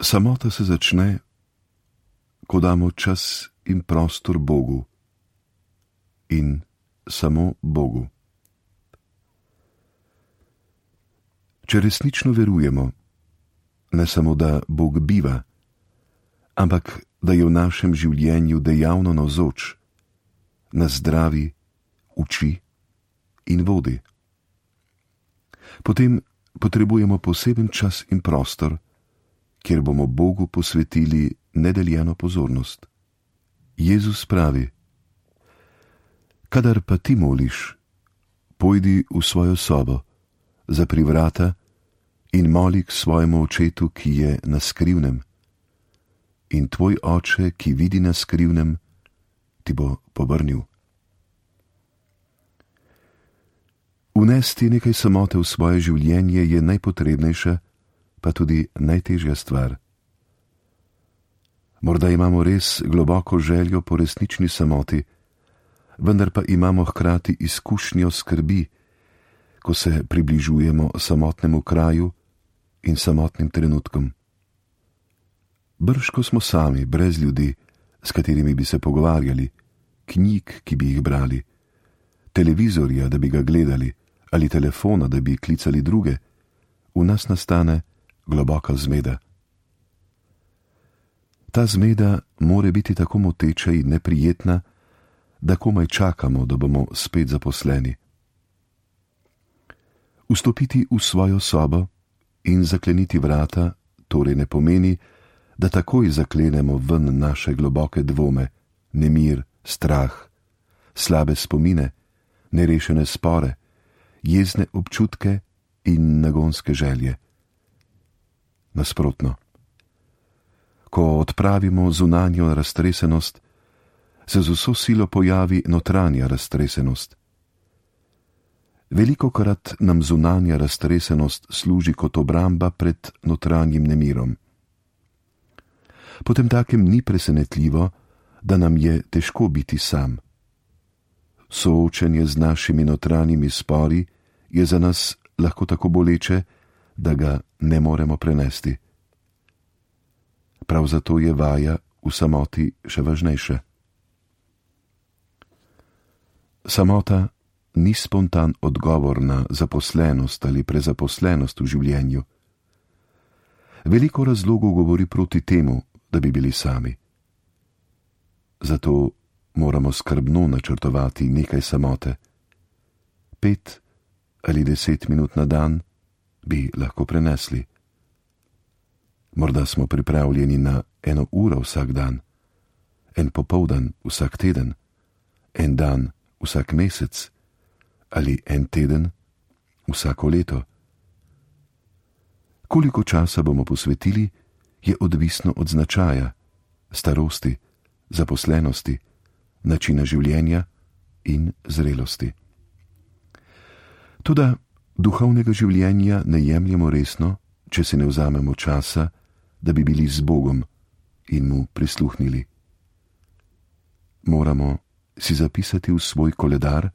Samota se začne, ko damo čas in prostor Bogu in samo Bogu. Če resnično verujemo, ne samo da Bog biva, ampak da je v našem življenju dejavno navzoč, nas zdravi, uči in vodi. Potem potrebujemo poseben čas in prostor, kjer bomo Bogu posvetili nedeljeno pozornost. Jezus pravi: kadar pa ti moliš, pojdi v svojo sobo, zapri vrata in moli k svojemu očetu, ki je na skrivnem. In tvoj oče, ki vidi na skrivnem, ti bo povrnil. Vnesti nekaj samote v svoje življenje je najpotrebnejša, pa tudi najtežja stvar. Morda imamo res globoko željo po resnični samoti, vendar pa imamo hkrati izkušnjo skrbi, ko se približujemo samotnemu kraju in samotnim trenutkom. Brž ko smo sami, brez ljudi, s katerimi bi se pogovarjali, knjig, ki bi jih brali, televizorja, da bi ga gledali, ali telefona, da bi klicali druge, v nas nastane globoka zmeda. Ta zmeda more biti tako moteča in neprijetna, da komaj čakamo, da bomo spet zaposleni. Vstopiti v svojo sobo in zakleniti vrata torej ne pomeni, da takoj zaklenemo ven naše globoke dvome, nemir, strah, slabe spomine, nerešene spore, jezne občutke in nagonske želje. Nasprotno. Ko odpravimo zunanjo raztresenost, se z vso silo pojavi notranja raztresenost. Velikokrat nam zunanja raztresenost služi kot obramba pred notranjim nemirom. Potemtakem ni presenetljivo, da nam je težko biti sam. Soočenje z našimi notranjimi spori je za nas lahko tako boleče, da ga ne moremo prenesti. Prav zato je vaja v samoti še važnejša. Samota ni spontan odgovor na zaposlenost ali prezaposlenost v življenju. Veliko razlogov govori proti temu, da bi bili sami. Zato moramo skrbno načrtovati nekaj samote. 5 ali 10 minut na dan bi lahko prenesli. Morda smo pripravljeni na 1 uro vsak dan, 1 popoldan vsak teden, 1 dan vsak mesec ali 1 teden vsako leto. Koliko časa bomo posvetili, je odvisno od značaja, starosti, zaposlenosti, načina življenja in zrelosti. Toda duhovnega življenja ne jemljemo resno, če si ne vzamemo časa, da bi bili z Bogom in mu prisluhnili. Moramo si zapisati v svoj koledar,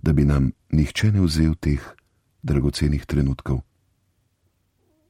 da bi nam nihče ne vzel teh dragocenih trenutkov.